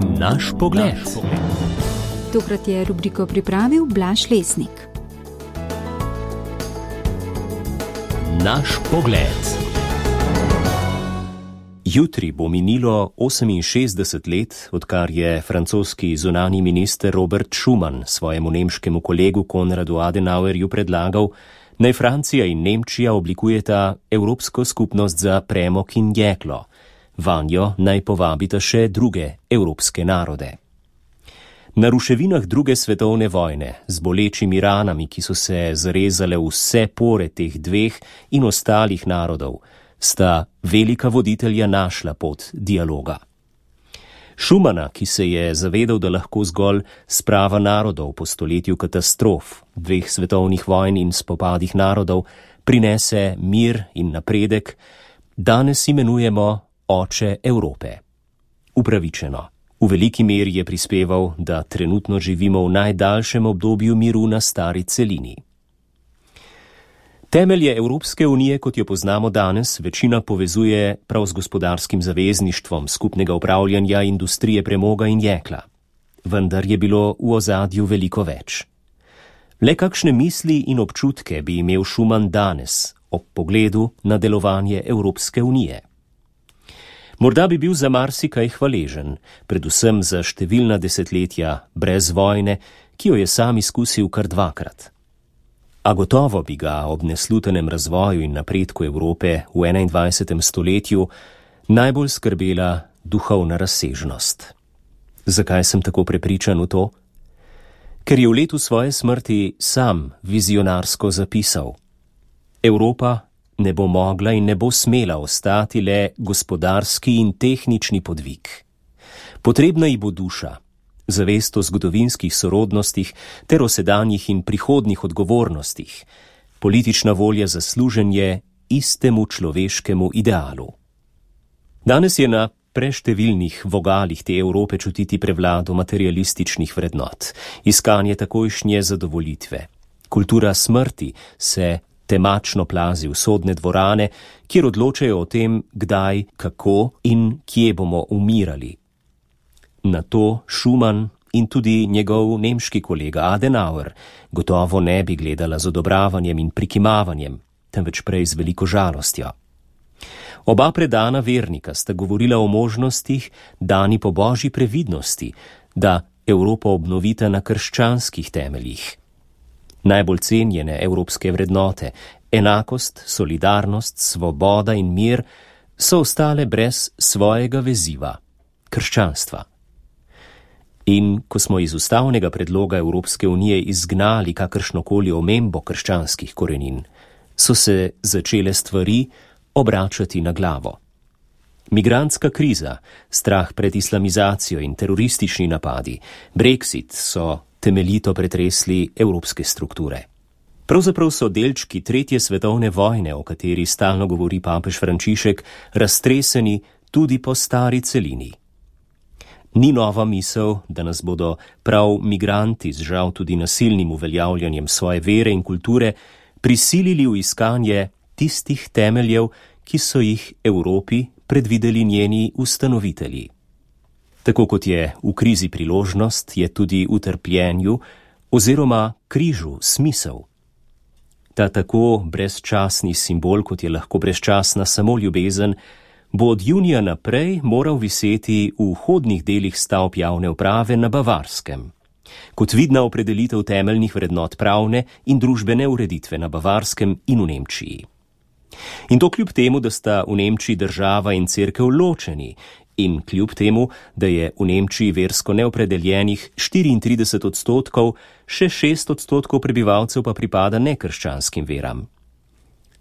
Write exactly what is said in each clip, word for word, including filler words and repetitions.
Naš pogled. Tokrat je rubriko pripravil Blaž Lesnik. Naš pogled. Jutri bo minilo oseminšestdeset let, odkar je francoski zunanji minister Robert Schuman svojemu nemškemu kolegu Konradu Adenauerju predlagal, naj Francija in Nemčija oblikujeta Evropsko skupnost za premog in jeklo. Vanjo naj povabita še druge evropske narode. Na ruševinah druge svetovne vojne, z bolečimi ranami, ki so se zarezale v vse pore teh dveh in ostalih narodov, sta velika voditelja našla pot dialoga. Schumana, ki se je zavedal, da lahko zgolj sprava narodov po stoletju katastrof, dveh svetovnih vojn in spopadih narodov, prinese mir in napredek, danes imenujemo oče Evrope. Upravičeno. V veliki meri je prispeval, da trenutno živimo v najdaljšem obdobju miru na stari celini. Temelje Evropske unije, kot jo poznamo danes, večina povezuje prav z gospodarskim zavezništvom skupnega upravljanja industrije premoga in jekla. Vendar je bilo v ozadju veliko več. Le kakšne misli in občutke bi imel Schuman danes ob pogledu na delovanje Evropske unije? Morda bi bil za marsikaj hvaležen, predvsem za številna desetletja brez vojne, ki jo je sam izkusil kar dvakrat. A gotovo bi ga ob neslutenem razvoju in napredku Evrope v enaindvajsetem stoletju najbolj skrbela duhovna razsežnost. Zakaj sem tako prepričan v to? Ker je v letu svoje smrti sam vizionarsko zapisal: Evropa ne bo mogla in ne bo smela ostati le gospodarski in tehnični podvig. Potrebna ji bo duša, zavest o zgodovinskih sorodnostih ter o sedanjih in prihodnjih odgovornostih, politična volja za služenje istemu človeškemu idealu. Danes je na preštevilnih vogalih te Evrope čutiti prevlado materialističnih vrednot, iskanje takojšnje zadovolitve. Kultura smrti se temačno plazi v sodne dvorane, kjer odločajo o tem, kdaj, kako in kje bomo umirali. Na to Schuman in tudi njegov nemški kolega Adenauer gotovo ne bi gledala z odobravanjem in prikimavanjem, temveč prej z veliko žalostjo. Oba predana vernika sta govorila o možnostih, dani po božji previdnosti, da Evropo obnovita na krščanskih temeljih. Najbolj cenjene evropske vrednote, enakost, solidarnost, svoboda in mir, so ostale brez svojega veziva, krščanstva. In ko smo iz ustavnega predloga Evropske unije izgnali kakršnokoli omembo krščanskih korenin, so se začele stvari obračati na glavo. Migrantska kriza, strah pred islamizacijo in teroristični napadi, Brexit so temeljito pretresli evropske strukture. Pravzaprav so delčki tretje svetovne vojne, o kateri stalno govori papež Frančišek, raztreseni tudi po stari celini. Ni nova misel, da nas bodo prav migranti z žal tudi nasilnim uveljavljanjem svoje vere in kulture prisilili v iskanje tistih temeljev, ki so jih Evropi predvideli njeni ustanovitelji. Tako kot je v krizi priložnost, je tudi v trpljenju oziroma križu smisel. Ta tako brezčasni simbol, kot je lahko brezčasna samo ljubezen, bo od junija naprej moral viseti v vhodnih delih stavb javne uprave na Bavarskem, kot vidna opredelitev temeljnih vrednot pravne in družbene ureditve na Bavarskem in v Nemčiji. In to kljub temu, da sta v Nemčiji država in cerkev ločeni, in kljub temu, da je v Nemčiji versko neopredeljenih štiriintrideset odstotkov, še šest odstotkov prebivalcev pa pripada nekrščanskim veram.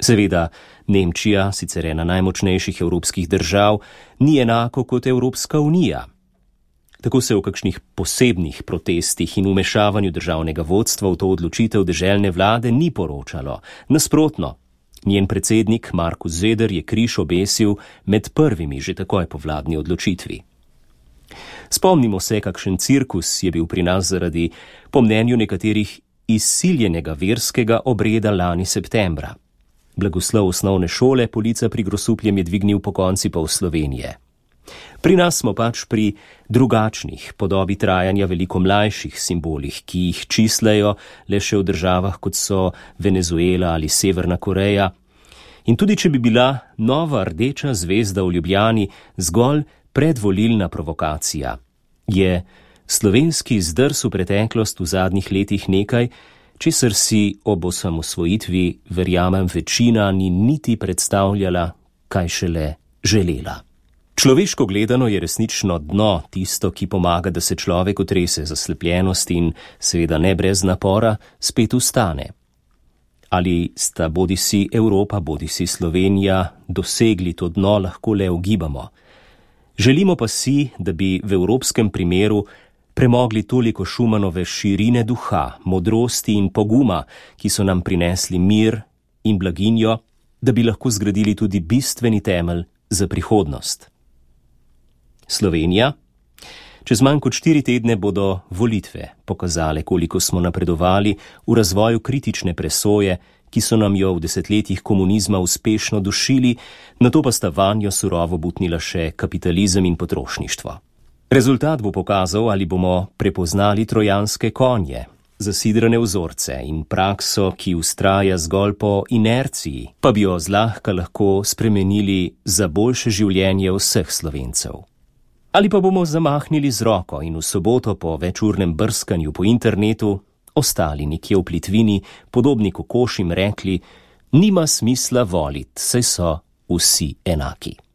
Seveda, Nemčija, sicer ena najmočnejših evropskih držav, ni enako kot Evropska unija. Tako se v kakšnih posebnih protestih in vmešavanju državnega vodstva v to odločitev deželne vlade ni poročalo. Nasprotno, njen predsednik Markus Söder je križ obesil med prvimi že takoj po vladni odločitvi. Spomnimo se, kakšen cirkus je bil pri nas zaradi, po mnenju nekaterih, izsiljenega verskega obreda lani septembra. Blagoslov osnovne šole Polica pri Grosupljem je dvignil po konci pol Slovenije. Pri nas smo pač pri drugačnih, podobi trajanja veliko mlajših simbolih, ki jih čislajo le še v državah, kot so Venezuela ali Severna Koreja. In tudi, če bi bila nova rdeča zvezda v Ljubljani zgolj predvolilna provokacija, je slovenski zdrs v preteklost v zadnjih letih nekaj, česar si ob osamosvojitvi, verjamem, večina ni niti predstavljala, kaj šele želela. Človeško gledano je resnično dno tisto, ki pomaga, da se človek otrese zaslepljenosti in, seveda ne brez napora, spet vstane. Ali sta bodisi Evropa, bodisi Slovenija dosegli to dno, lahko le ugibamo. Želimo pa si, da bi v evropskem primeru premogli toliko Šumanove širine duha, modrosti in poguma, ki so nam prinesli mir in blaginjo, da bi lahko zgradili tudi bistveni temelj za prihodnost. Slovenija? Čez manj kot štiri tedne bodo volitve pokazale, koliko smo napredovali v razvoju kritične presoje, ki so nam jo v desetletjih komunizma uspešno dušili, nato pa sta vanjo surovo butnila še kapitalizem in potrošništvo. Rezultat bo pokazal, ali bomo prepoznali trojanske konje, zasidrane vzorce in prakso, ki vztraja zgolj po inerciji, pa bi jo zlahka lahko spremenili za boljše življenje vseh Slovencev. Ali pa bomo zamahnili z roko in v soboto po večurnem brskanju po internetu ostali nekje v plitvini, podobni kokošim rekli, nima smisla volit, saj so vsi enaki.